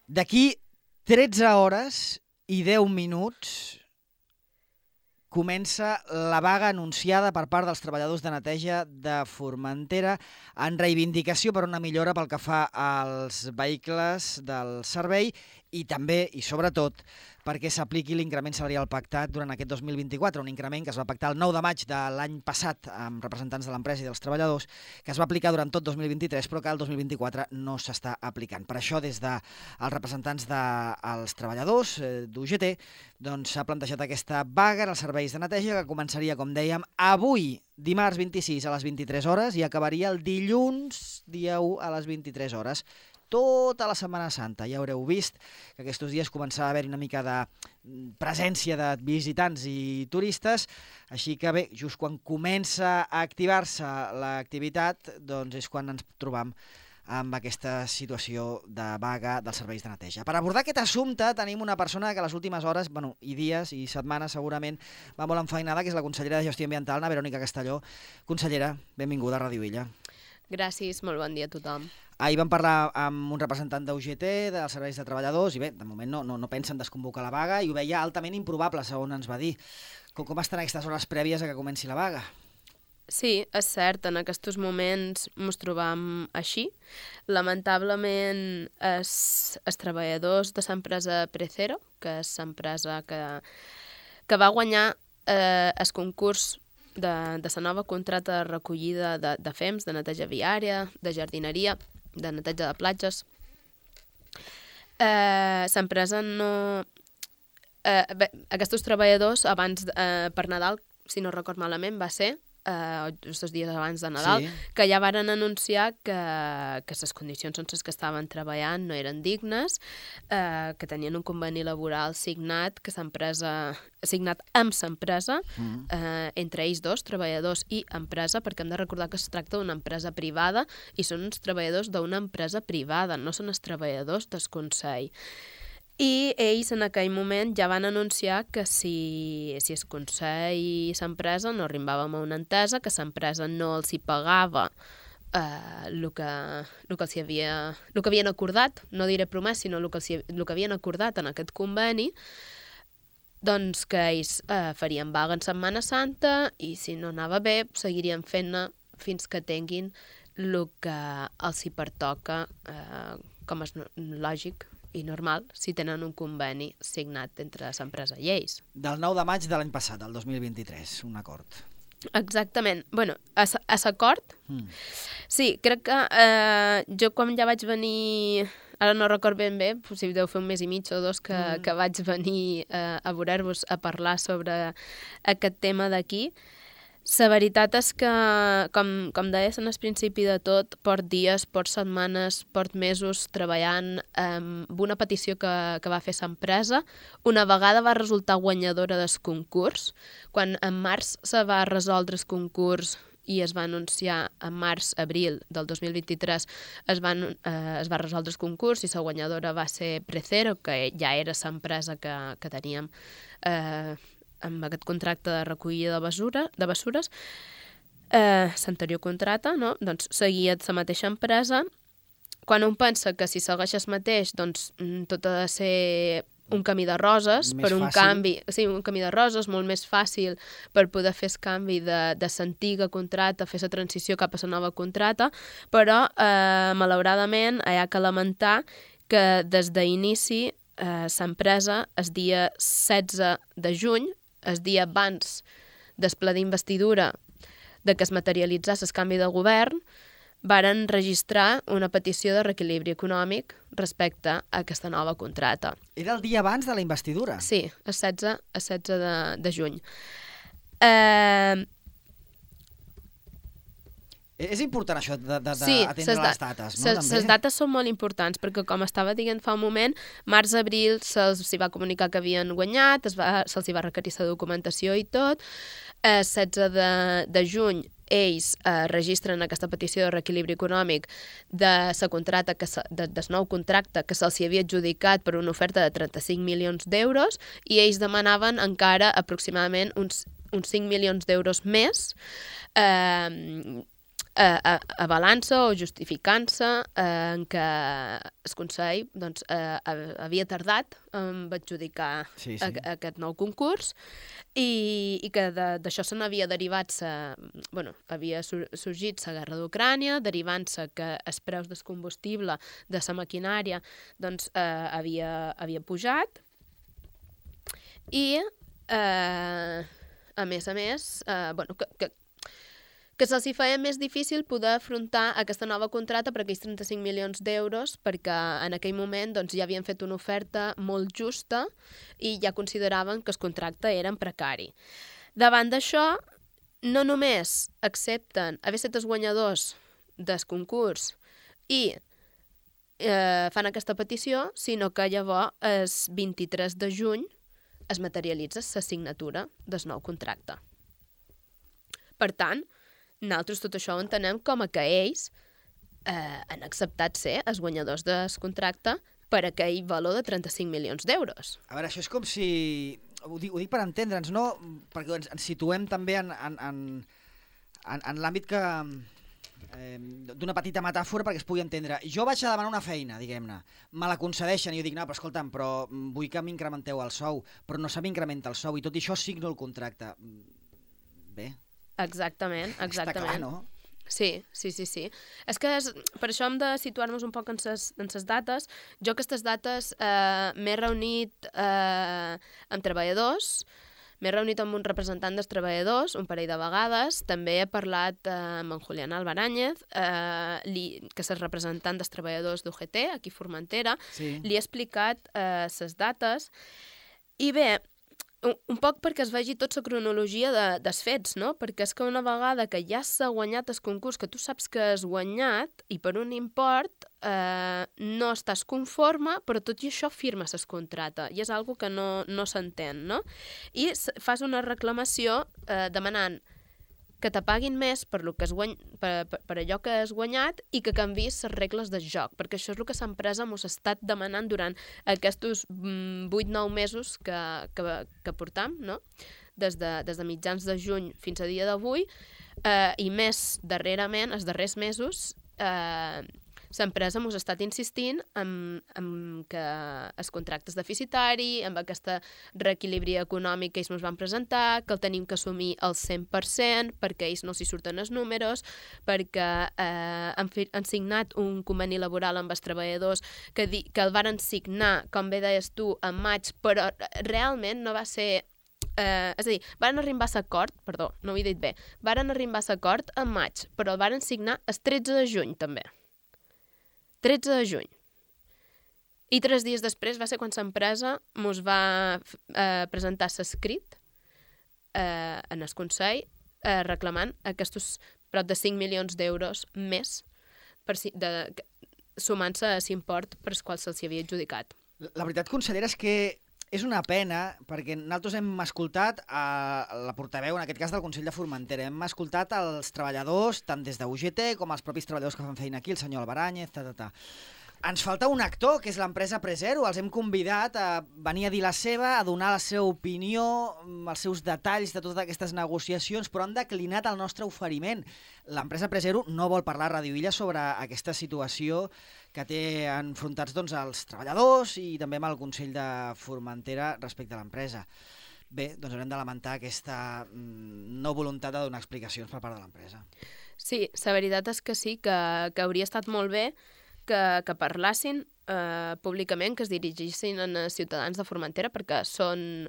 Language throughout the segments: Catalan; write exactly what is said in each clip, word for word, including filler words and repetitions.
D'aquí tretze hores i deu minuts comença la vaga anunciada per part dels treballadors de neteja de Formentera en reivindicació per una millora pel que fa als vehicles del servei i també, i sobretot, perquè s'apliqui l'increment salarial pactat durant aquest dos mil vint-i-quatre, un increment que es va pactar el nou de maig de l'any passat amb representants de l'empresa i dels treballadors, que es va aplicar durant tot dos mil vint-i-tres, però que el dos mil vint-i-quatre no s'està aplicant. Per això, des dels representants dels treballadors d'U G T, doncs s'ha plantejat aquesta vaga als serveis de neteja que començaria, com dèiem, avui, dimarts vint-i-sis a les vint-i-tres hores i acabaria el dilluns, dia u, a les vint-i-tres hores. Tota la Setmana Santa. Ja haureu vist que aquests dies començava a haver una mica de presència de visitants i turistes, així que bé, just quan comença a activar-se l'activitat, doncs és quan ens trobam amb aquesta situació de vaga dels serveis de neteja. Per abordar aquest assumpte tenim una persona que a les últimes hores, bueno, i dies i setmanes segurament va molt enfeinada, que és la consellera de Gestió Ambiental, na Verònica Castelló. Consellera, benvinguda a Ràdio Illa. Gràcies, molt bon dia a tothom. Ahir vam parlar amb un representant d'U G T, dels serveis de treballadors, i bé, de moment no, no, no pensen desconvocar la vaga i ho veia altament improbable, segons ens va dir. Com, com estan aquestes hores prèvies a que comenci la vaga? Sí, és cert, en aquests moments ens trobam així. Lamentablement, els, els treballadors de l'empresa Precero, que és l'empresa que, que va guanyar eh, el concurs de, de la nova contracta de recollida de, de fems, de neteja viària, de jardineria, de neteja de platges. Eh, l'empresa no... Eh, bé, aquests treballadors, abans eh, per Nadal, si no record malament, va ser, eh, just els dies abans de Nadal, sí, que ja varen anunciar que, que les condicions en les que estaven treballant no eren dignes, eh, que tenien un conveni laboral signat, que s'empresa, signat amb l'empresa, mm. eh, entre ells dos, treballadors i empresa, perquè hem de recordar que es tracta d'una empresa privada i són uns treballadors d'una empresa privada, no són els treballadors del Consell. I ells en aquell moment ja van anunciar que si, si el Consell i l'empresa no arribàvem a una entesa, que l'empresa no els hi pagava eh, el, que, el, que els havia, el que havien acordat, no diré promès, sinó el que, els, el que havien acordat en aquest conveni, doncs que ells eh, farien vaga en Setmana Santa i si no anava bé seguirien fent-ne fins que tinguin el que els hi pertoca, eh, com és lògic i normal, si tenen un conveni signat entre l'empresa i ells. Del nou de maig de l'any passat, del dos mil vint-i-tres, un acord. Exactament. Bueno, a l'acord, mm. sí, crec que eh, jo quan ja vaig venir, ara no record ben bé, si deu fer un mes i mig o dos que, mm. que vaig venir eh, a veure-vos a parlar sobre aquest tema d'aquí. La veritat és que, com, com deies en el principi de tot, port dies, port setmanes, port mesos treballant amb una petició que, que va fer l'empresa. Una vegada va resultar guanyadora del concurs. Quan en març se va resoldre el concurs i es va anunciar en març-abril del dos mil vint-i-tres, es, van, eh, es va resoldre el concurs i la guanyadora va ser Precero, que ja era l'empresa que, que teníem eh, amb aquest contracte de recollida de, basura, de bessures, eh, l'anterior contracte, no? Doncs seguia la mateixa empresa. Quan un pensa que si segueix el mateix, doncs tot ha de ser un camí de roses, més per un fàcil. canvi, sí, un camí de roses, molt més fàcil per poder fer el canvi de, de l'antiga contracta, fer la transició cap a la nova contracta, però eh, malauradament hi ha que lamentar que des d'inici eh, l'empresa, el dia setze de juny, el dia abans del ple d'investidura de que es materialitzés el canvi de govern, varen registrar una petició de reequilibri econòmic respecte a aquesta nova contracta. Era el dia abans de la investidura? Sí, el setze, el setze de, de juny. Eh... És important això d'atendre sí, les dates, no? Les dates són molt importants perquè, com estava dient fa un moment, març-abril se'ls va comunicar que havien guanyat, se'ls va requerir la documentació i tot. El setze de, de juny ells eh, registren aquesta petició de reequilibri econòmic de la contracta, que se, de, del nou contracte que se'ls havia adjudicat per una oferta de trenta-cinc milions d'euros i ells demanaven encara aproximadament uns, uns cinc milions d'euros més eh, eh, avalant-se o justificant-se eh, en què el Consell doncs, eh, havia tardat en adjudicar sí, sí. A, aquest nou concurs i, i que d'això se n'havia derivat, sa, bueno, havia sorgit la guerra d'Ucrània, derivant-se que els preus del combustible de la maquinària doncs, eh, havia, havia pujat i, eh, a més a més, eh, bueno, que, que que se'ls feia més difícil poder afrontar aquesta nova contracta per aquells trenta-cinc milions d'euros perquè en aquell moment doncs, ja havien fet una oferta molt justa i ja consideraven que el contracte era en precari. Davant d'això, no només accepten haver estat els guanyadors del concurs i eh, fan aquesta petició, sinó que llavors el vint-i-tres de juny es materialitza la signatura del nou contracte. Per tant, nosaltres tot això ho entenem com a que ells eh, han acceptat ser els guanyadors del contracte per aquell valor de trenta-cinc milions d'euros. A veure, això és com si... Ho dic, ho dic per entendre'ns, no? Perquè ens, ens situem també en, en, en, en, en l'àmbit que... Eh, d'una petita metàfora perquè es pugui entendre. Jo vaig a demanar una feina, diguem-ne, me la concedeixen i jo dic, no, però escolta'm, però vull que m'incrementeu el sou, però no se m'incrementa el sou i tot i això signo el contracte. Bé... Exactament, exactament. Està clar, no? Sí, sí, sí, sí. És que és, per això hem de situar-nos un poc en ses dates. Jo aquestes dates eh, m'he reunit eh, amb treballadors, m'he reunit amb un representant dels treballadors un parell de vegades, també he parlat eh, amb en Julián Albaràñez, eh, li, que és el representant dels treballadors d'U G T, aquí a Formentera, sí. Li he explicat eh, ses dates, i bé, un poc perquè es vegi tota la cronologia de, dels fets, no? Perquè és que una vegada que ja s'ha guanyat el concurs, que tu saps que has guanyat i per un import eh, no estàs conforme, però tot i això firmes el contracte i és algo que no, no s'entén, no? I fas una reclamació eh, demanant que te paguin més per, lo que has guany... per, per, per allò que has guanyat i que canvis les regles del joc, perquè això és el que l'empresa mos ha estat demanant durant aquests vuit nou mesos que, que, que portam, no? Des de, des de mitjans de juny fins a dia d'avui, eh, i més darrerament, els darrers mesos, eh, l'empresa mos ha estat insistint en, en que els contractes deficitari, amb aquesta reequilibri econòmic que ells ens van presentar, que el tenim que assumir al cent per cent perquè ells no s'hi surten els números, perquè eh, han, fi, han signat un conveni laboral amb els treballadors que, di, que el varen signar, com bé deies tu, en maig, però realment no va ser... Eh, és a dir, varen arribar a l'acord, perdó, no ho he dit bé, varen arribar a l'acord en maig, però el varen signar el tretze de juny també. tretze de juny. I tres dies després va ser quan l'empresa ens va eh, presentar l'escrit eh, en el Consell eh, reclamant aquests prop de cinc milions d'euros més per si, de, sumant-se a l'import per als quals se'ls havia adjudicat. La veritat, consellera, és que és una pena, perquè nosaltres hem escoltat a la portaveu, en aquest cas del Consell de Formentera, hem escoltat els treballadors, tant des de U G T com els propis treballadors que fan feina aquí, el senyor Albaràñez, ta, ta, ta. Ens falta un actor, que és l'empresa Prezero. Els hem convidat a venir a dir la seva, a donar la seva opinió, els seus detalls de totes aquestes negociacions, però han declinat el nostre oferiment. L'empresa Prezero no vol parlar a Radio Illa sobre aquesta situació que té enfrontats doncs, els treballadors i també amb el Consell de Formentera respecte a l'empresa. Bé, doncs haurem de lamentar aquesta no voluntat de donar explicacions per part de l'empresa. Sí, la veritat és que sí, que, que hauria estat molt bé que, que parlassin eh, públicament, que es dirigissin als ciutadans de Formentera, perquè són,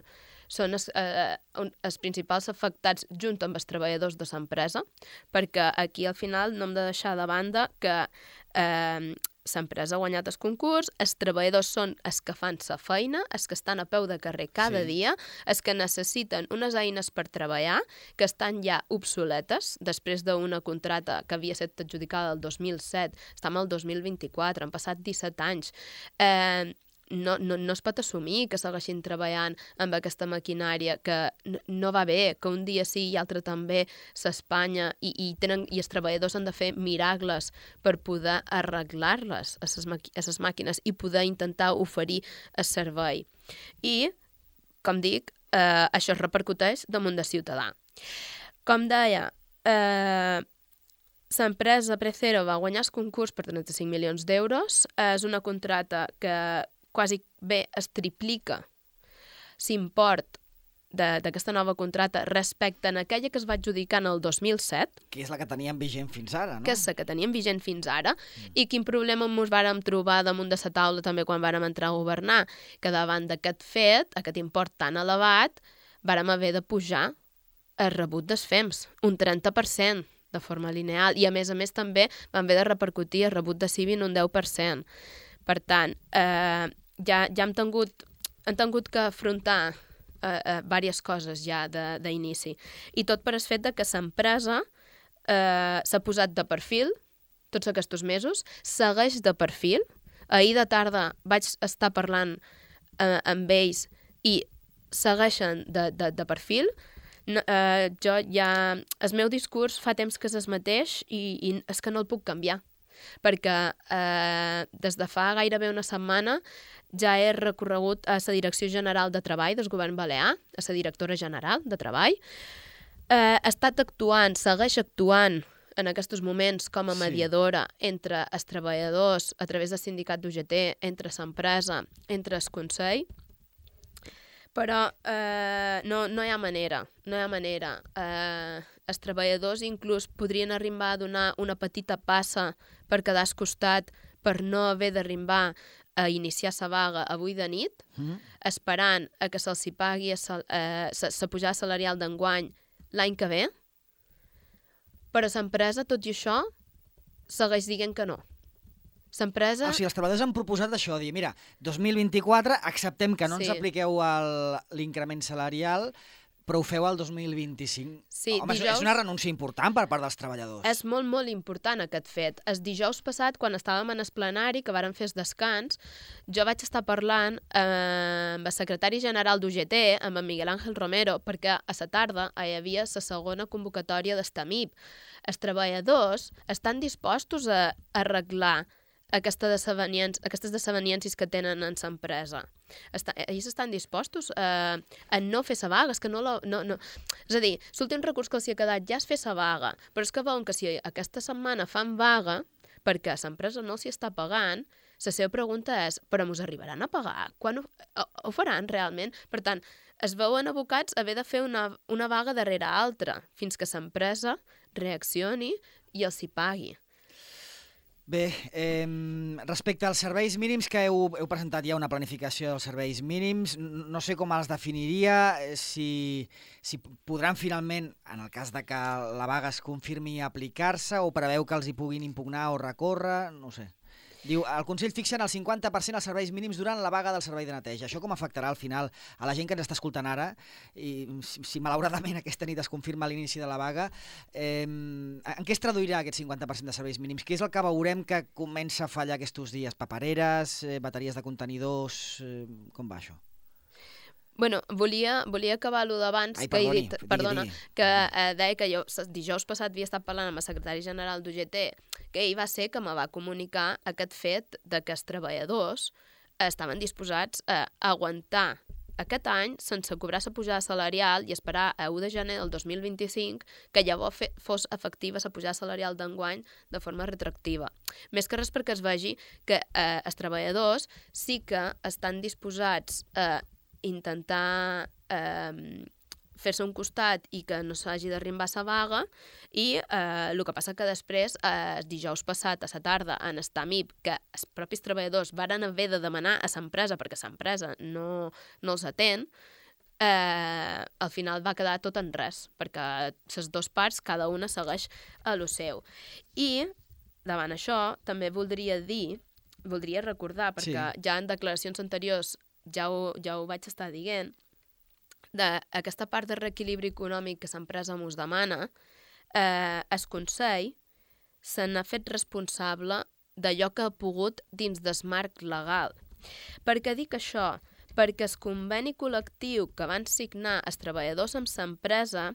són els, eh, els principals afectats junt amb els treballadors de l'empresa, perquè aquí al final no hem de deixar de banda que eh, l'empresa ha guanyat el concurs, els treballadors són els que fan la feina, els que estan a peu de carrer cada sí. dia, els que necessiten unes eines per treballar, que estan ja obsoletes, després d'una contracta que havia estat adjudicada el dos mil set, estem al dos mil vint-i-quatre, han passat disset anys. Eh, no, no, no es pot assumir que segueixin treballant amb aquesta maquinària, que no, no va bé, que un dia sí i altre també s'espanya i, i, tenen, i els treballadors han de fer miracles per poder arreglar-les a les màquines i poder intentar oferir el servei. I, com dic, eh, això es repercuteix damunt del ciutadà. Com deia, eh, l'empresa Precero va guanyar el concurs per trenta-cinc milions d'euros. És una contrata que quasi bé es triplica l'import d'aquesta nova contrata respecte a aquella que es va adjudicar en el dos mil set. Que és la que teníem vigent fins ara, no? Que és la que teníem vigent fins ara. Mm. I quin problema ens vàrem trobar damunt de la taula també quan vàrem entrar a governar, que davant d'aquest fet, aquest import tan elevat, vàrem haver de pujar el rebut dels F E Ms, un trenta per cent de forma lineal, i a més a més també vam haver de repercutir el rebut de Civi en un deu per cent. Per tant, eh, ja, ja hem tingut, hem tingut que afrontar eh, eh, diverses coses ja d'inici. I tot per el fet de que l'empresa eh, s'ha posat de perfil tots aquests mesos, segueix de perfil. Ahir de tarda vaig estar parlant eh, amb ells i segueixen de, de, de perfil. No, uh, jo ja... El meu discurs fa temps que és el mateix i, i és que no el puc canviar, perquè uh, des de fa gairebé una setmana ja he recorregut a la Direcció General de Treball del Govern Balear, a la directora general de Treball. Uh, ha estat actuant, segueix actuant en aquests moments com a mediadora sí. entre els treballadors a través del sindicat d'U G T, entre l'empresa, entre el Consell. Però eh, no, no hi ha manera, no hi ha manera. Eh, els treballadors inclús podrien arribar a donar una petita passa per quedar al costat per no haver d'arribar a iniciar la vaga avui de nit, mm. esperant a que se'ls pagui la eh, pujada salarial d'enguany l'any que ve. Però l'empresa, tot i això, segueix dient que no. L'empresa... O sigui, els treballadors han proposat això, dir, mira, dos mil vint-i-quatre acceptem que no sí. ens apliqueu l'increment salarial, però ho feu al dos mil vint-i-cinc. Sí, Home, dijous... és una renúncia important per part dels treballadors. És molt, molt important aquest fet. El dijous passat, quan estàvem en el plenari, que vàrem fer el descans, jo vaig estar parlant eh, amb el secretari general d'U G T, amb en Miguel Ángel Romero, perquè a la tarda hi havia la segona convocatòria d'Estamip. Els treballadors estan dispostos a arreglar Aquesta aquestes desaveniències que tenen en l'empresa. Ells estan dispostos a, a no fer la vaga. És, que no la, no, no. és a dir, l'últim recurs que els ha quedat ja és fer la vaga, però és que veuen que si aquesta setmana fan vaga perquè l'empresa no s'hi està pagant, la seva pregunta és, però mos arribaran a pagar? Quan ho, ho, ho faran realment? Per tant, es veuen abocats a haver de fer una, una vaga darrere altra fins que l'empresa reaccioni i els hi pagui. Bé, eh, respecte als serveis mínims, que heu, heu presentat ja una planificació dels serveis mínims, no sé com els definiria, si, si podran finalment, en el cas de que la vaga es confirmi, aplicar-se, o preveu que els hi puguin impugnar o recórrer, no sé. Diu, el Consell fixa en el cinquanta per cent els serveis mínims durant la vaga del servei de neteja. Això com afectarà al final a la gent que ens està escoltant ara? I si, si malauradament aquesta nit es confirma l'inici de la vaga, eh, en què es traduirà aquest cinquanta per cent de serveis mínims? Què és el que veurem que comença a fallar aquests dies? Papereres, eh, bateries de contenidors, eh, com va això? Bueno, volia, volia acabar allò d'abans, que he dit, perdona, que eh, deia que jo dijous passat havia estat parlant amb el secretari general d'U G T, que ell va ser que me va comunicar aquest fet de que els treballadors estaven disposats a aguantar aquest any sense cobrar la pujada salarial i esperar a u de gener del dos mil vint-i-cinc que llavors fos efectiva la pujada salarial d'enguany de forma retroactiva. Més que res perquè es vegi que eh, els treballadors sí que estan disposats a intentar eh, fer-se un costat i que no s'hagi d'arribar a la vaga i eh, el que passa que després, eh, dijous passat a la tarda en Estamip, que els propis treballadors varen haver de demanar a l'empresa perquè l'empresa no, no els atén, eh, al final va quedar tot en res, perquè les dues parts, cada una segueix a lo seu. I davant això també voldria dir, voldria recordar, perquè sí. ja en declaracions anteriors ja ho, ja ho vaig estar dient, d'aquesta part de reequilibri econòmic que l'empresa mos demana, eh, el Consell se n'ha fet responsable d'allò que ha pogut dins del marc legal. Per què dic això? Perquè el conveni col·lectiu que van signar els treballadors amb l'empresa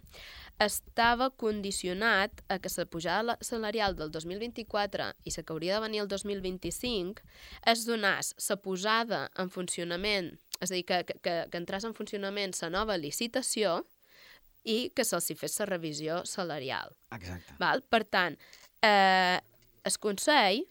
estava condicionat a que la pujada salarial del dos mil vint-i-quatre i la que hauria de venir el dos mil vint-i-cinc es donés la posada en funcionament, és a dir, que, que, que entrés en funcionament la nova licitació i que se'ls fes la revisió salarial. Exacte. Val? Per tant, eh, el Consell,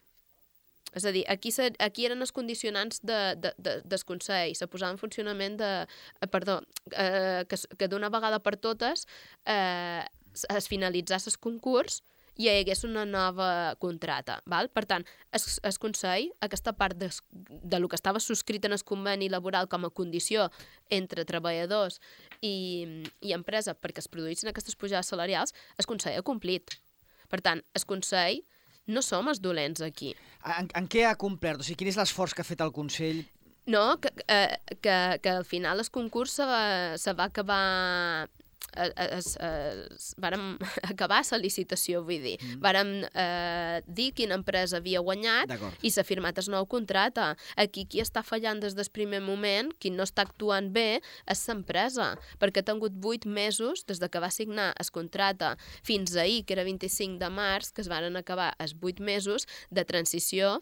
és a dir, aquí, se, aquí eren els condicionants de, de, de, del Consell, se posava en funcionament de... Eh, perdó, eh, que, que d'una vegada per totes eh, es finalitzés el concurs i hi hagués una nova contrata. Val? Per tant, el, el Consell, aquesta part de, de lo que estava subscrit en el conveni laboral com a condició entre treballadors i, i empresa perquè es produïssin aquestes pujades salarials, el Consell ha complit. Per tant, el Consell no som els dolents aquí. En, en què ha complert? O sigui, quin és l'esforç que ha fet el Consell? No, que, eh, que, que al final el concurs se va, se va acabar... Es, es, es, vàrem acabar la licitació, vull dir. Mm. Vàrem eh, dir quina empresa havia guanyat i s'ha firmat el nou contracte. Aquí qui està fallant des del primer moment, qui no està actuant bé, és l'empresa, perquè ha tingut vuit mesos des de que va signar el contracte fins ahir, que era vint-i-cinc de març, que es van acabar els vuit mesos de transició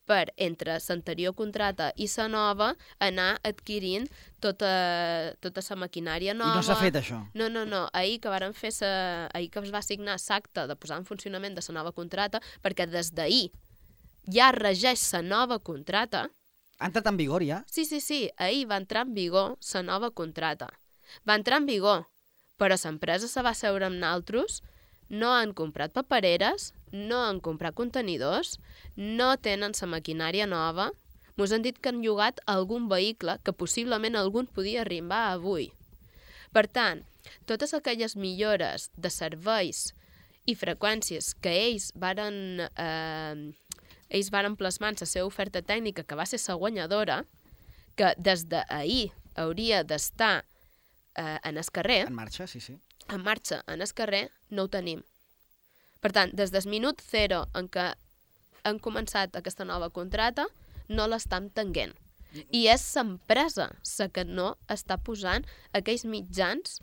per entre l'anterior contracte i la nova anar adquirint tota, tota la maquinària nova. I no s'ha fet això? No, no, no. Ahir que varen fer sa, ahir que es va signar l'acte de posar en funcionament de la nova contracta, perquè des d'ahir ja regeix la nova contracta. Ha entrat en vigor ja? Sí, sí, sí. Ahir va entrar en vigor la nova contracta. Va entrar en vigor, però l'empresa se va seure amb naltros, no han comprat papereres, no han comprat contenidors, no tenen la maquinària nova, mos han dit que han llogat algun vehicle que possiblement algun podia arribar avui. Per tant, totes aquelles millores de serveis i freqüències que ells varen, eh, ells varen plasmar en la seva oferta tècnica, que va ser la guanyadora, que des d'ahir hauria d'estar eh, en el carrer... En marxa, sí, sí. En marxa en el carrer, no ho tenim. Per tant, des del minut zero en què han començat aquesta nova contrata, no l'estan tenint. I és l'empresa la que no està posant aquells mitjans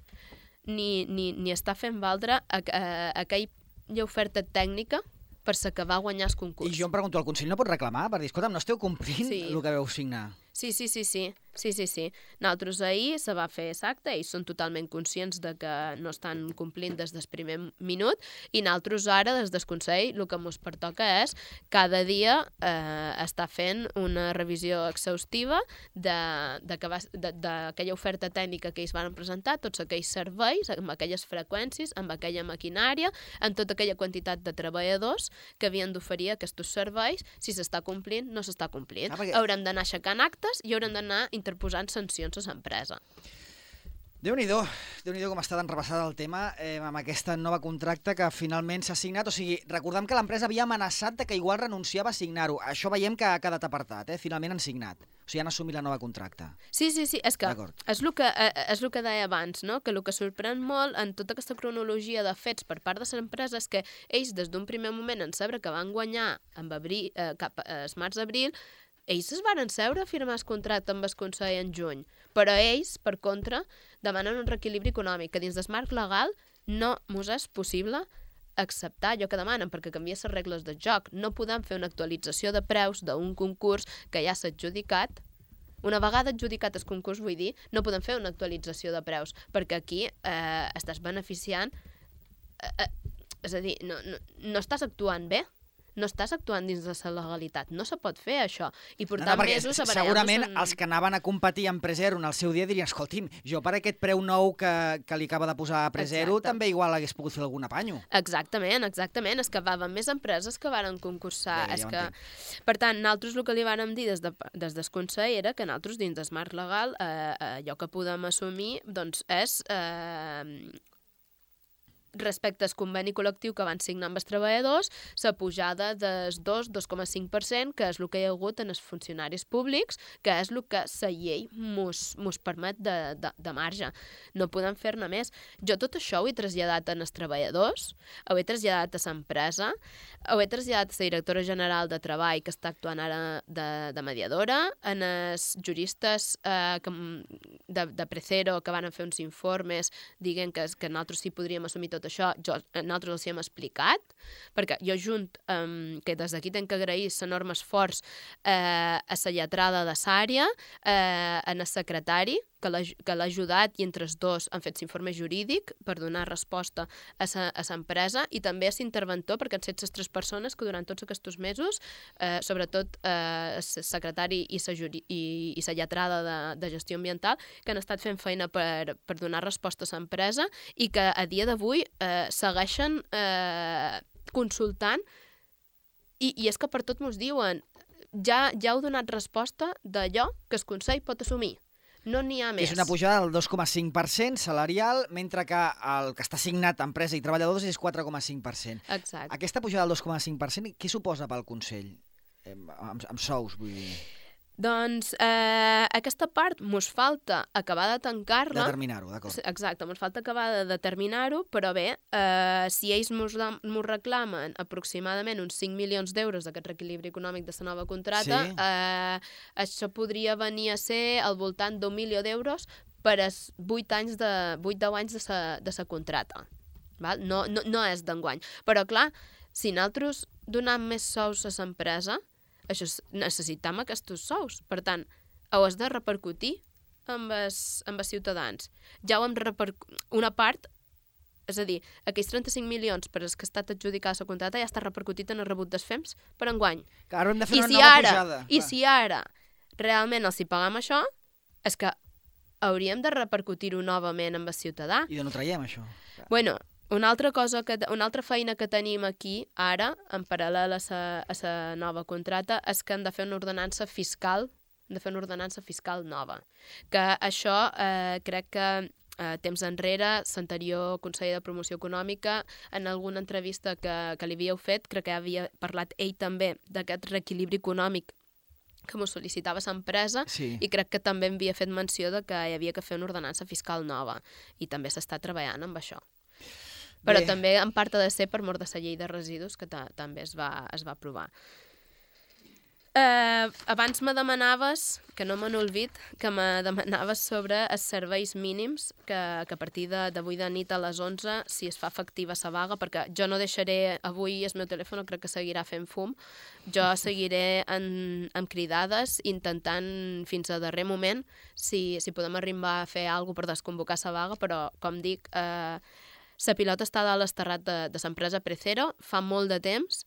ni, ni, ni està fent valdre a, a, a aquella oferta tècnica per la que va guanyar el concurs. I jo em pregunto, el Consell no pot reclamar? Per dir, escolta'm, no esteu complint sí. el que veu signar. Sí, sí, sí, sí. Sí, sí, sí. Nosaltres ahir se va fer l'acte, ells són totalment conscients de que no estan complint des del primer minut i nosaltres ara, des del Consell, el que ens pertoca és cada dia eh, estar fent una revisió exhaustiva d'aquella oferta tècnica que ells van presentar, tots aquells serveis, amb aquelles freqüències, amb aquella maquinària, amb tota aquella quantitat de treballadors que havien d'oferir aquests serveis. Si s'està complint, no s'està complint. Ah, perquè... Haurem d'anar aixecant actes i haurem d'anar interposant sancions a l'empresa. Déu-n'hi-do, Déu-n'hi-do com està tan repassada el tema eh, amb aquesta nova contracte que finalment s'ha signat. O sigui, recordem que l'empresa havia amenaçat de que igual renunciava a signar-ho. Això veiem que ha quedat apartat, eh? Finalment han signat. O sigui, han assumit la nova contracte. Sí, sí, sí, és que és el que, és el que deia abans, no? Que el que sorprèn molt en tota aquesta cronologia de fets per part de l'empresa és que ells, des d'un primer moment, en saber que van guanyar amb abril, eh, cap a març-abril, ells es van seure a firmar el contracte amb el Consell en juny, però ells, per contra, demanen un reequilibri econòmic, que dins del marc legal no mos és possible acceptar allò que demanen, perquè canvia les regles del joc. No podem fer una actualització de preus d'un concurs que ja s'ha adjudicat. Una vegada adjudicat el concurs, vull dir, no podem fer una actualització de preus, perquè aquí eh, estàs beneficiant... Eh, eh, és a dir, no, no, no estàs actuant bé. No estàs actuant dins de la legalitat. No se pot fer això. I portar no, no, mesos a segurament en... els que anaven a competir amb Presero en el seu dia dirien, escolti'm, jo per aquest preu nou que, que li acaba de posar a Presero Exacte. També igual hagués pogut fer algun apanyo. Exactament, exactament. És que van més empreses que varen concursar. Bé, és ja que... Per tant, nosaltres el que li vàrem dir des, de, des del Consell era que nosaltres dins del marc legal eh, allò que podem assumir doncs, és... Eh, respecte al conveni col·lectiu que van signar amb els treballadors, la pujada del dos a dos coma cinc per cent, que és el que hi ha hagut en els funcionaris públics, que és el que la llei mos, mos permet de, de, de marge. No podem fer-ne més. Jo tot això ho he traslladat als treballadors, ho he traslladat a l'empresa, ho he traslladat a la directora general de Treball, que està actuant ara de, de mediadora, en els juristes eh, que, de, de Presero, que van fer uns informes dient que, que nosaltres sí podríem assumir tot això, jo, nosaltres els hi hem explicat, perquè jo junt, um, que des d'aquí tenc que agrair l'enorme esforç eh, a la lletrada de l'àrea, eh, en el secretari, que l'ha ajudat i entre els dos han fet l'informe jurídic per donar resposta a l'empresa i també a l'interventor, perquè han set les tres persones que durant tots aquests mesos, eh, sobretot el eh, secretari i la i, i la lletrada de, de gestió ambiental, que han estat fent feina per, per donar resposta a l'empresa i que a dia d'avui eh, segueixen eh, consultant i, i és que per tot mos diuen ja, ja heu donat resposta d'allò que el Consell pot assumir. No n'hi ha més. És una pujada del dos coma cinc per cent salarial, mentre que el que està signat empresa i treballadors és quatre coma cinc per cent. Exacte. Aquesta pujada del dos coma cinc per cent, què suposa pel Consell? Eh, amb, amb sous, vull dir... Doncs eh, aquesta part mos falta acabar de tancar-la. Determinar-ho, d'acord. Exacte, mos falta acabar de determinar-ho, però bé, eh, si ells mos, mos reclamen aproximadament uns cinc milions d'euros d'aquest reequilibri econòmic de la nova contrata, sí. eh, això podria venir a ser al voltant d'un milió d'euros per als vuit anys de vuit deu anys de sa, de sa contrata. Val? No, no, no és d'enguany. Però clar, si nosaltres donem més sous a l'empresa, això necessitam aquests sous. Per tant, ho has de repercutir amb els, amb els ciutadans. Ja ho hem repercutit. Una part, és a dir, aquells trenta-cinc milions per als que ha estat adjudicada la contrata ja està repercutit en el rebut dels F E Ms per enguany. Clar, ara hem de fer I una si nova ara, pujada. I si ara realment els hi pagam això, és que hauríem de repercutir-ho novament amb el ciutadà. I d'on ho traiem, això? Bueno, una altra cosa, que, una altra feina que tenim aquí, ara, en paral·lel a la nova contrata, és que hem de fer una ordenança fiscal, hem de fer una ordenança fiscal nova. Que això eh, crec que eh, temps enrere, l'anterior conseller de Promoció Econòmica, en alguna entrevista que, que li havíeu fet, crec que havia parlat ell també d'aquest reequilibri econòmic que m'ho sol·licitava l'empresa, sí. I crec que també havia fet menció de que hi havia que fer una ordenança fiscal nova i també s'està treballant amb això. Però Bé. També en part ha de ser per mort de la llei de residus que també es va, es va aprovar. Eh, abans me demanaves, que no me n'olvid, que me demanaves sobre els serveis mínims, que, que a partir d'avui de, de nit a les onze, si es fa efectiva la vaga, perquè jo no deixaré avui el meu telèfon, crec que seguirà fent fum, jo seguiré en, en cridades, intentant fins a darrer moment si, si podem arribar a fer alguna cosa per desconvocar la vaga, però com dic, eh, la pilota està dalt esterrat de, de l'empresa Precero, fa molt de temps,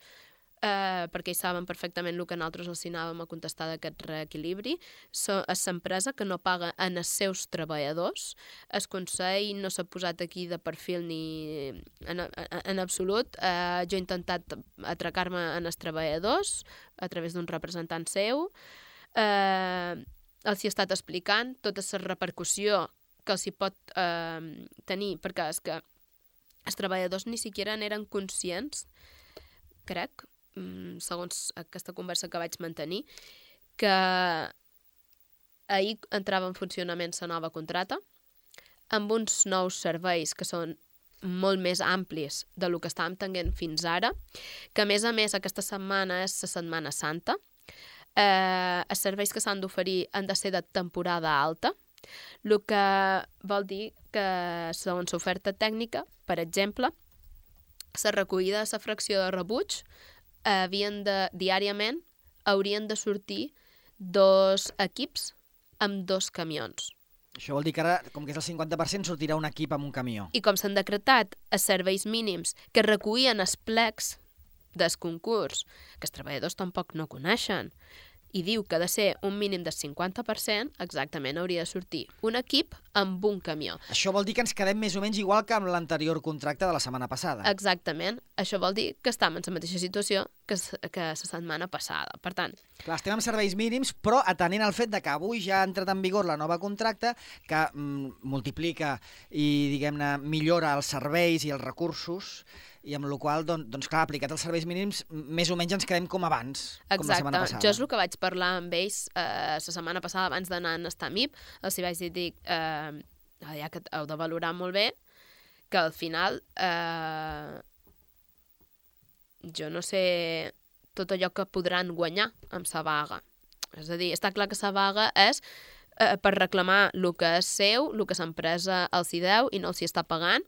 eh, perquè ells saben perfectament el que nosaltres els anàvem a contestar d'aquest reequilibri. So, és l'empresa que no paga en els seus treballadors. El Consell no s'ha posat aquí de perfil ni en, en, en absolut. Eh, jo he intentat atracar-me en els treballadors a través d'un representant seu. Eh, els hi he estat explicant tota la repercussió que els hi pot eh, tenir, perquè és que els treballadors ni siquiera n'eren conscients, crec, segons aquesta conversa que vaig mantenir, que ahir entrava en funcionament la nova contrata, amb uns nous serveis que són molt més amplis de lo que estàvem tenint fins ara, que a més a més aquesta setmana és la Setmana Santa, eh, els serveis que s'han d'oferir han de ser de temporada alta, el que vol dir que segons l'oferta tècnica, per exemple, la recollida de la fracció de rebuig eh, havien de, diàriament haurien de sortir dos equips amb dos camions. Això vol dir que ara, com que és el cinquanta per cent, sortirà un equip amb un camió. I com s'han decretat els serveis mínims que recollien els plecs del concurs, que els treballadors tampoc no coneixen, i diu que ha de ser un mínim del cinquanta per cent, exactament hauria de sortir un equip amb un camió. Això vol dir que ens quedem més o menys igual que amb l'anterior contracte de la setmana passada. Exactament. Això vol dir que estem en la mateixa situació que, que la setmana passada. Per tant... Clar, estem amb serveis mínims, però atenent al fet de que avui ja ha entrat en vigor la nova contracte que mm, multiplica i, diguem-ne, millora els serveis i els recursos, i amb la qual cosa, doncs clar, aplicat els serveis mínims, més o menys ens quedem com abans, Exacte. Com la setmana passada. Jo és el que vaig parlar amb ells eh, la setmana passada abans d'anar a estar a M I P, els hi vaig dir, dic, eh, ja que heu de valorar molt bé, que al final eh, jo no sé tot allò que podran guanyar amb la vaga. És a dir, està clar que la vaga és eh, per reclamar el que és seu, el que l'empresa els hi deu i no els hi està pagant,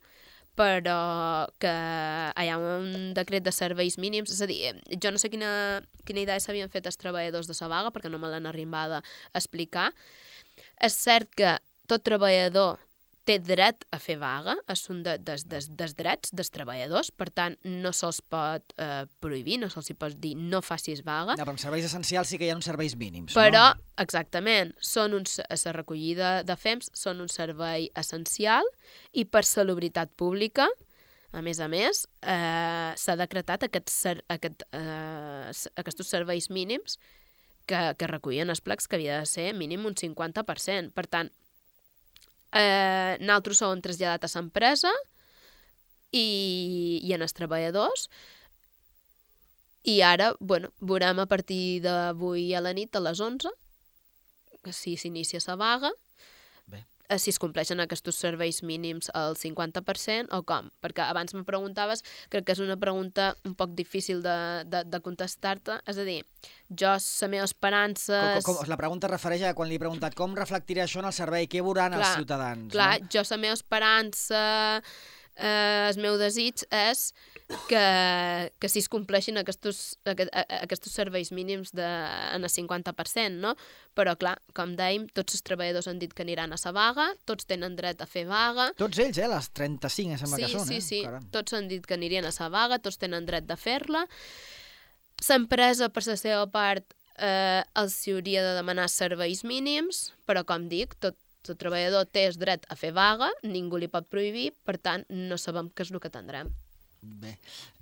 però que hi ha un decret de serveis mínims, és a dir, jo no sé quina, quina idea s'havien fet els treballadors de la vaga, perquè no me l'han arribat a explicar. És cert que tot treballador té dret a fer vaga, és un de, des, des, des drets dels treballadors, per tant, no se'ls pot eh, prohibir, no se'ls pot dir no facis vaga. No, però en serveis essencials sí que hi ha uns serveis mínims, però, no? Exactament, són uns, la recollida de F E M S són un servei essencial i per salubritat pública, a més a més, eh, s'ha decretat aquest, ser, aquest, eh, aquests serveis mínims que, que recullen els plecs que havia de ser mínim un cinquanta per cent. Per tant, Eh, nosaltres som traslladat a l'empresa i, i en els treballadors i ara, bueno, veurem a partir d'avui a la nit a les onze si s'inicia la vaga, Bé. Eh, si es compleixen aquests serveis mínims al cinquanta per cent o com, perquè abans me preguntaves, crec que és una pregunta un poc difícil de, de, de contestar-te, és a dir, jo, la meva esperança... Com, com, la pregunta es refereix a quan li he preguntat com reflectirà això en el servei, què veuran clar, els ciutadans. Clar, no? Jo, la meva esperança, eh, el meu desig és que, que si es compleixin aquests, aquest, aquests serveis mínims de, en el cinquanta per cent, no? Però, clar, com dèiem, tots els treballadors han dit que aniran a la vaga, tots tenen dret a fer vaga. Tots ells, eh? Les trenta-cinc, sembla sí, que són, sí, eh? Sí, sí, Caram. Tots han dit que anirien a la vaga, tots tenen dret de fer-la. L'empresa, per la seva part, eh, els hauria de demanar serveis mínims, però, com dic, tot el treballador té el dret a fer vaga, ningú li pot prohibir, per tant, no sabem què és el que tindrem. Bé.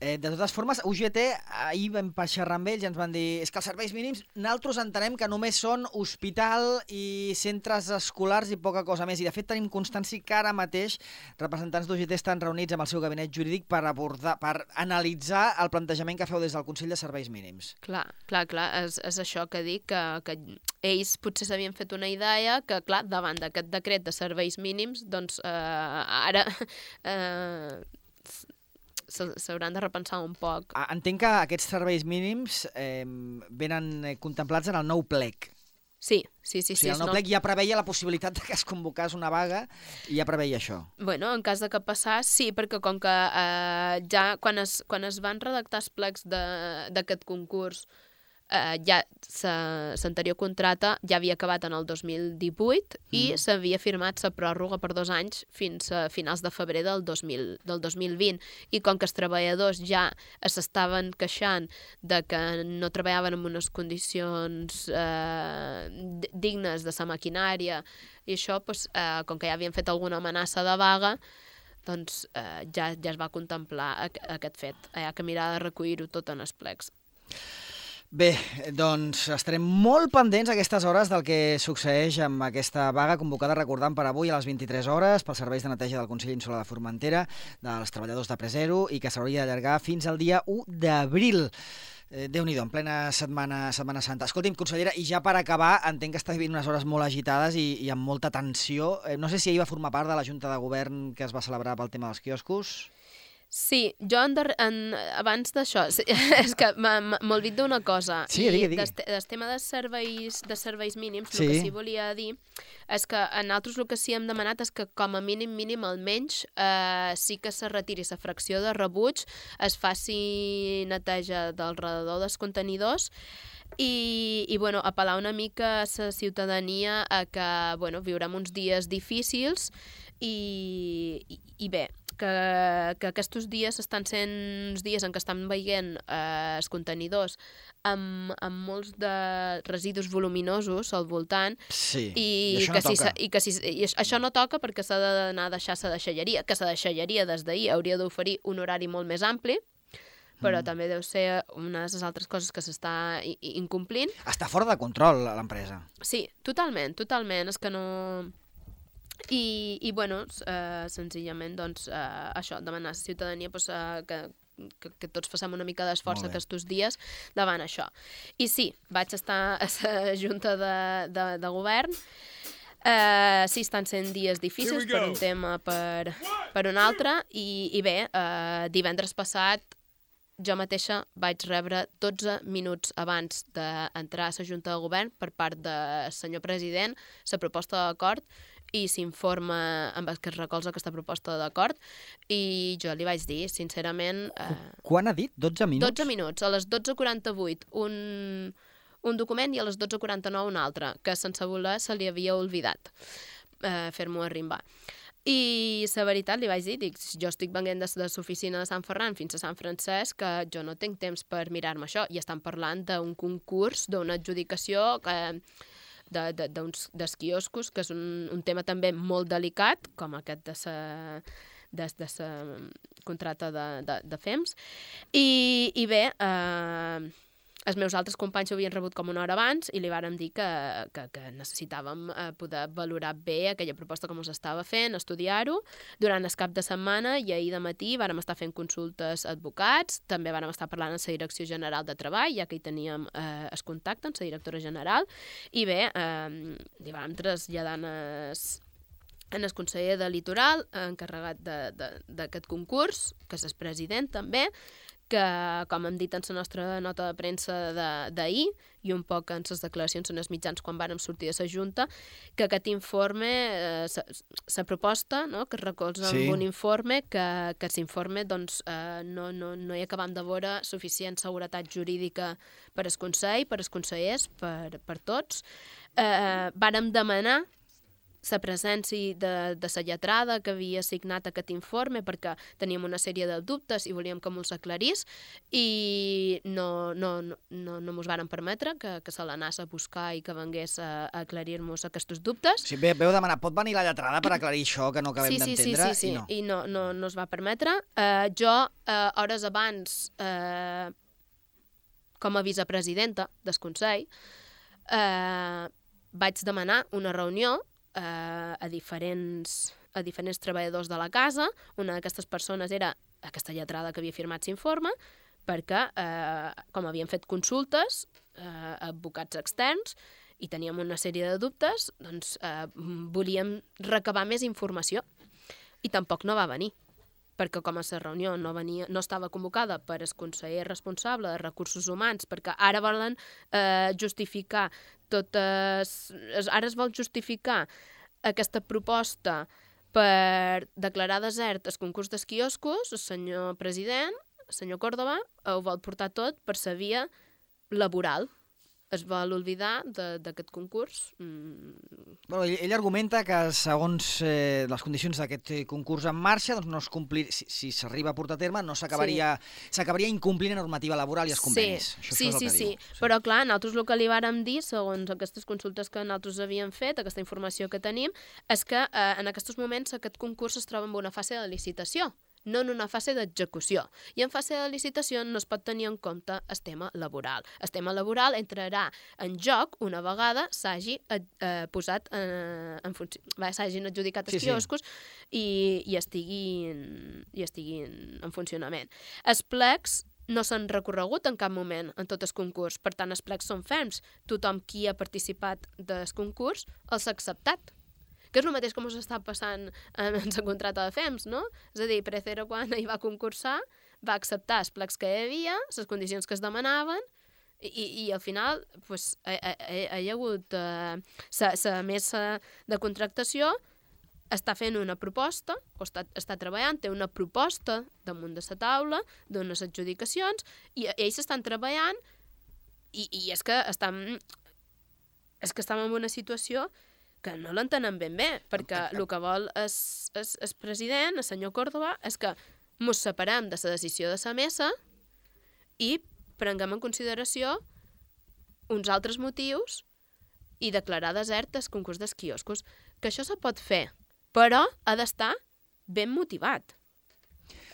Eh, de totes formes, U G T, ahir vam xerrar amb ells i ens van dir és que els serveis mínims, nosaltres entenem que només són hospital i centres escolars i poca cosa més. I, de fet, tenim constància que ara mateix representants d'U G T estan reunits amb el seu gabinet jurídic per abordar, per analitzar el plantejament que feu des del Consell de Serveis Mínims. Clar, clar, clar. És, és això que dic, que, que ells potser s'havien fet una idea que, clar, davant d'aquest decret de serveis mínims, doncs eh, ara... Eh, s'hauran de repensar un poc. Entenc que aquests serveis mínims eh, venen contemplats en el nou plec. Sí, sí, sí. O sigui, sí el nou no... plec ja preveia la possibilitat que es convocés una vaga i ja preveia això. Bueno, en cas de que passés, sí, perquè com que eh, ja quan es, quan es van redactar els plecs d'aquest concurs, eh, ja l'anterior contracte ja havia acabat en el dos mil divuit mm. i s'havia firmat la pròrroga per dos anys fins a finals de febrer del dos mil, del dos mil vint. I com que els treballadors ja s'estaven queixant de que no treballaven en unes condicions eh, dignes de la maquinària i això, doncs, eh, com que ja havien fet alguna amenaça de vaga, doncs eh, ja, ja es va contemplar aquest fet. Hi ha que mirar de recollir-ho tot en els plecs. Bé, doncs estarem molt pendents a aquestes hores del que succeeix amb aquesta vaga convocada, recordant, per avui a les vint-i-tres hores pels serveis de neteja del Consell Insular de Formentera, dels treballadors de Presero, i que s'hauria d'allargar fins al dia u d'abril. Eh, Déu-n'hi-do, en plena setmana, setmana Santa. Escolti'm, consellera, i ja per acabar, entenc que està vivint unes hores molt agitades i, i amb molta tensió. Eh, no sé si ahir va formar part de la Junta de Govern que es va celebrar pel tema dels quioscos. Sí, jo en der... en... abans d'això, sí, és que m'he olvidat d'una cosa. Sí, digui, digui. I del tema de serveis, de serveis mínims, sí. El que sí volia dir és que a nosaltres el que sí hem demanat és que com a mínim, mínim, almenys, eh, sí que se retiri la fracció de rebuig, es faci neteja del redador dels contenidors i, i bueno, apel·lar una mica a la ciutadania a que, bueno, viurem uns dies difícils i, i, i bé, que, que aquests dies estan sent uns dies en què estan veient eh, els contenidors amb, amb molts de residus voluminosos al voltant sí, i, i això que no si, toca. I que si, i això no toca perquè s'ha d'anar a deixar la deixalleria, que la deixalleria des d'ahir hauria d'oferir un horari molt més ampli, però mm. també deu ser una de les altres coses que s'està incomplint. Està fora de control l'empresa. Sí, totalment, totalment. És que no... I, i bueno, eh, senzillament, doncs, eh, això, demanar a la ciutadania pues, eh, que, que, que tots facem una mica d'esforç aquests dies davant això. I sí, vaig estar a la Junta de, de, de Govern. Eh, sí, estan sent dies difícils per un tema per, per un altre, i, i bé, eh, divendres passat jo mateixa vaig rebre dotze minuts abans d'entrar a la Junta de Govern per part del senyor president la proposta d'acord i s'informa amb el que es recolza aquesta proposta d'acord i jo li vaig dir, sincerament... Eh, Quan ha dit? dotze minuts? dotze minuts, a les dotze quaranta-vuit un, un document i a les dotze quaranta-nou un altre, que sense voler se li havia oblidat. eh, fer-m'ho arrimbar. I la veritat li vaig dir, dic, jo estic venint de, de l'oficina de Sant Ferran fins a Sant Francesc, que jo no tinc temps per mirar-me això, i estan parlant d'un concurs, d'una adjudicació que, de, de, d'uns, dels quioscos, que és un, un tema també molt delicat, com aquest de sa, de, de sa contracte de, de, de F E M S. I, i bé, eh, els meus altres companys ho havien rebut com una hora abans i li vàrem dir que, que, que necessitàvem eh, poder valorar bé aquella proposta com us estava fent, estudiar-ho. Durant el cap de setmana i ahir de matí vàrem estar fent consultes a advocats, també vàrem estar parlant amb la Direcció General de Treball, ja que hi teníem eh, el contacte amb la directora general, i bé, eh, li vàrem traslladar en el conseller de Litoral, encarregat d'aquest concurs, que és el president també, que, com hem dit en la nostra nota de premsa d'ahir i un poc en les declaracions en els mitjans quan vàrem sortir de la Junta, que aquest informe, la proposta, no?, que es recolza sí. en un informe, que, que l'informe doncs, eh, no, no, no hi acabam de veure suficient seguretat jurídica per al Consell, per als consellers, per, per tots. Eh, vàrem demanar la presència de, de la lletrada que havia signat aquest informe perquè teníem una sèrie de dubtes i volíem que mos aclarís i no, no, no, no, no mos varen permetre que, que se l'anés a buscar i que vengués a, a aclarir-nos aquests dubtes. Sí, veu demanar, pot venir la lletrada per aclarir això que no acabem sí, sí, d'entendre? Sí, sí, sí, i no. I no, no, no es va permetre. Uh, jo, uh, hores abans, uh, com a vicepresidenta del Consell, uh, vaig demanar una reunió Uh, a, diferents, a diferents treballadors de la casa. Una d'aquestes persones era aquesta lletrada que havia firmat l'informe, perquè, uh, com havien fet consultes uh, a advocats externs i teníem una sèrie de dubtes, doncs uh, volíem recabar més informació. I tampoc no va venir, perquè com a la reunió no, venia, no estava convocada per el conseller responsable de Recursos Humans, perquè ara volen eh, justificar totes... Ara es vol justificar aquesta proposta per declarar desert el concurs dels quioscos, el senyor president, el senyor Córdoba, ho vol portar tot per la via laboral. Es vol oblidar d'aquest concurs. Mm. Bueno, ell, ell argumenta que segons eh, les condicions d'aquest concurs en marxa, doncs no es complir, si, si s'arriba a portar a terme, no s'acabaria sí. s'acabaria incomplint la normativa laboral i els convenis. Sí, això, sí, això és el sí, que sí. diu. sí. Però clar, nosaltres el que li vàrem dir, segons aquestes consultes que nosaltres havíem fet, aquesta informació que tenim, és que eh, en aquests moments aquest concurs es troba en una fase de licitació, no en una fase d'execució. I en fase de licitació no es pot tenir en compte el tema laboral. El tema laboral entrarà en joc una vegada s'hagi eh, posat eh, en funció, s'hagin adjudicat els sí, quioscos sí. i, i, estiguin, i estiguin en funcionament. Els plecs no s'han recorregut en cap moment en tot el concurs, per tant els plecs són ferms. Tothom qui ha participat del concurs els ha acceptat. Que és el mateix com us està passant en la contracte de F E M S, no? És a dir, Precero, quan hi va concursar, va acceptar els plecs que hi havia, les condicions que es demanaven, i, i al final pues, hi, hi, hi ha hagut eh, la mesa de contractació està fent una proposta, o està, està treballant, té una proposta damunt de la taula, d'unes adjudicacions, i ells estan treballant, i, i és que estan, és que estan en una situació que no l'entenen ben bé, perquè el que vol el president, el senyor Córdoba, és que ens separem de la decisió de la mesa i prenguem en consideració uns altres motius i declarar desert el concurs dels quioscos. Que això se pot fer, però ha d'estar ben motivat.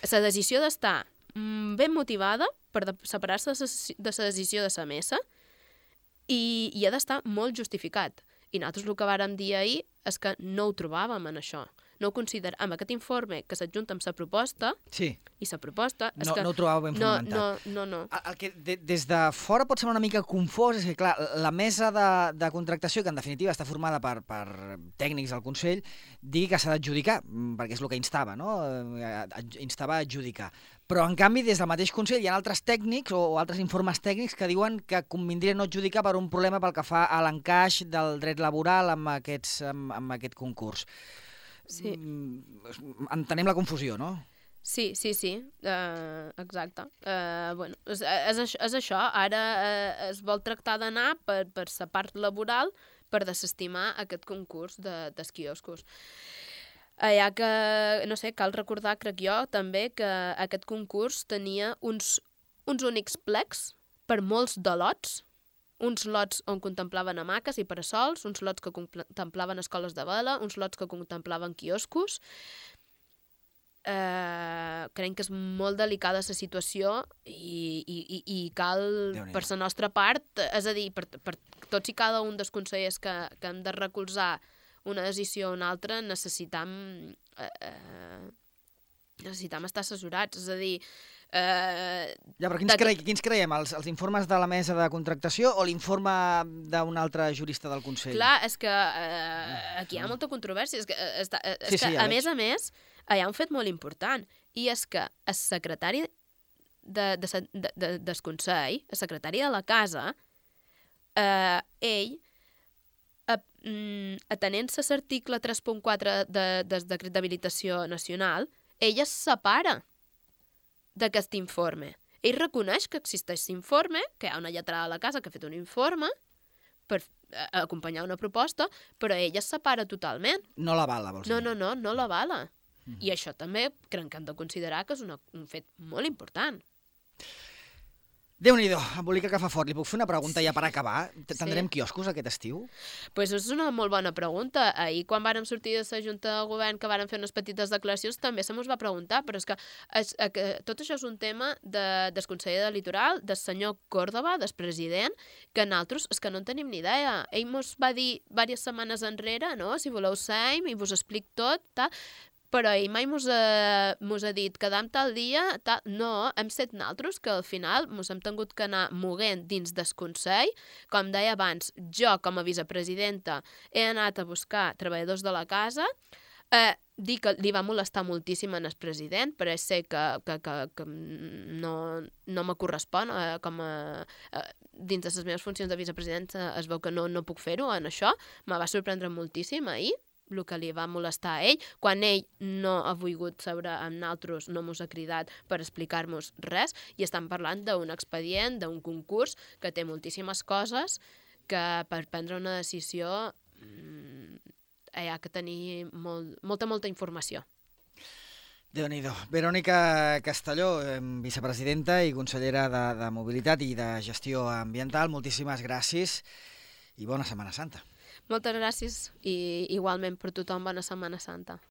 La decisió d'estar ben motivada per separar-se de la decisió de la mesa i, i ha d'estar molt justificat. I nosaltres el que vàrem dir ahir és que no ho trobàvem en això. No ho consideràvem. Amb aquest informe que s'adjunta amb la proposta, sí. i la proposta... És no, que no ho trobàvem ben no, fonamentat. No, no, no. El, el que de, des de fora pot semblar una mica confós és que, clar, la mesa de, de contractació, que en definitiva està formada per, per tècnics del Consell, digui que s'ha d'adjudicar, perquè és el que instava, no? Instava a adjudicar. Però, en canvi, des del mateix Consell hi ha altres tècnics o altres informes tècnics que diuen que convindria no adjudicar per un problema pel que fa a l'encaix del dret laboral amb, aquests, amb, amb aquest concurs. Sí. Entenem la confusió, no? Sí, sí, sí, uh, exacte. Uh, bueno, és, és, és això, ara uh, es vol tractar d'anar per, per la part laboral, per desestimar aquest concurs de, dels quioscos. Allà que, no sé, cal recordar, crec jo, també, que aquest concurs tenia uns, uns únics plecs per molts de lots, uns lots on contemplaven hamaques i parasols, uns lots que contemplaven escoles de vela, uns lots que contemplaven quioscos. Eh, crec que és molt delicada la situació i, i, i cal, per la nostra part, és a dir, per, per tots i cada un dels consellers que, que hem de recolzar una decisió o una altra, necessitam, eh, eh, necessitam estar assessorats. És a dir... Eh, ja, però quins, cre quins creiem? Els, els informes de la mesa de contractació o l'informe d'un altre jurista del Consell? Clar, és que eh, aquí hi ha molta controvèrsia. És que, eh, està, eh, és sí, que sí, ja a veig. més a més, hi ha un fet molt important, i és que el secretari de, de, de, de, del Consell, el secretari de la Casa, eh, ell, atenent-se a l'article tres punt quatre de, del decret d'habilitació nacional, ell es separa d'aquest informe. Ell reconeix que existeix l'informe, que hi ha una lletrada a la Casa que ha fet un informe per acompanyar una proposta, però ell es separa totalment. No l'avala, vols dir? No, no, no, no l'avala. Mm -hmm. I això també crec que hem de considerar que és una, un fet molt important. Déu-n'hi-do, embolica que fa fort. Li puc fer una pregunta ja per acabar? Tindrem sí. quioscos aquest estiu? Doncs pues és una molt bona pregunta. Ahir, quan vàrem sortir de la Junta de Govern, que vàrem fer unes petites declaracions, també se mos va preguntar, però és que es, eh, tot això és un tema de, del conseller de Litoral, del senyor Córdoba, del president, que nosaltres és que no en tenim ni idea. Ell mos va dir diverses setmanes enrere, no?, si voleu seim i vos explic tot, tal... Però ell mai mos ha, mos ha dit quedam tal dia, tal... No, hem set naltros que al final mos hem tingut que anar moguent dins del Consell. Com deia abans, jo com a vicepresidenta he anat a buscar treballadors de la casa, eh, dir que li va molestar moltíssim en el president, però sé que, que, que, que no, no me correspon eh, com a... Eh, dins de les meves funcions de vicepresidenta es veu que no, no puc fer-ho en això. Me va sorprendre moltíssim ahir el que li va molestar a ell, quan ell no ha volgut seure amb nosaltres, no mos ha cridat per explicar-nos res, i estem parlant d'un expedient, d'un concurs, que té moltíssimes coses, que per prendre una decisió mmm, hi ha que tenir molt, molta, molta informació. Déu-n'hi-do. Verònica Castelló, vicepresidenta i consellera de, de Mobilitat i de Gestió Ambiental, moltíssimes gràcies i bona Setmana Santa. Moltes gràcies i igualment per tothom bona Setmana Santa.